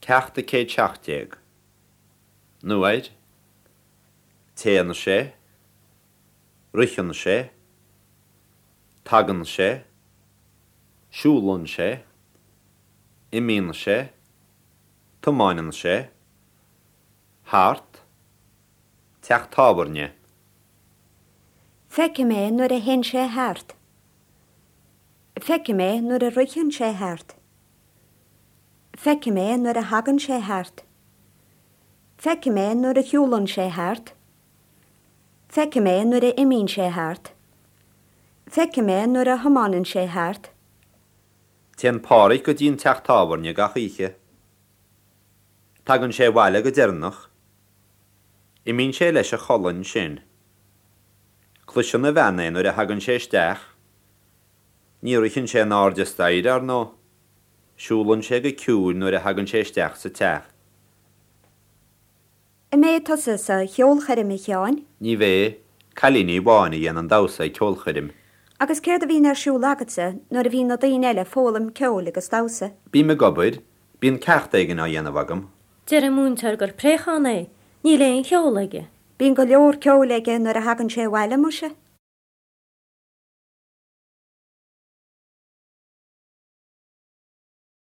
Ceacht 117. Nuair, Téann sé, Ritheann sé, Tagann sé, Siúlann sé, Imíonn sé, Tiomáineann sé, Thart, Teach tábhairne. Feicim é nuair a théann sé thart. Feicim é nuair a ritheann sé thart. Feicim é nuair a thagann sé thart. Feicim é nuair a shiúlann sé thart. Feicim é nuair a imíonn sé thart. Feicim é nuair a thiomáineann sé thart. Téann Páraic go dtí an teach tábhairne gach oíche. Tagann sé abhaile go deireanach. Imíonn sé leis a chodladh ansin. Cloiseann a bhean é nuair a thagann sé isteach. Ní ritheann sé in airde staighre, ar ndóigh. Siúlann sé go ciúin nuair a thagann sé isteach sa teach. An mbeidh tusa sa cheolchoirm, a Sheáin? Ní bheidh. Cailíní amháin a dhéanann damhsa ag ceolchoirm. Agus céard a bhíonn ar siúl agatsa nuair a bhíonn na daoine eile ag foghlaim ceoil agus damhsa? Bím ag obair. Bíonn ceacht éigin á dhéanamh agam. Deir an múinteoir gur préachán é. Níl aon cheol aige. Bíonn go leor ceoil aige nuair a thagann sé abhaile, muise.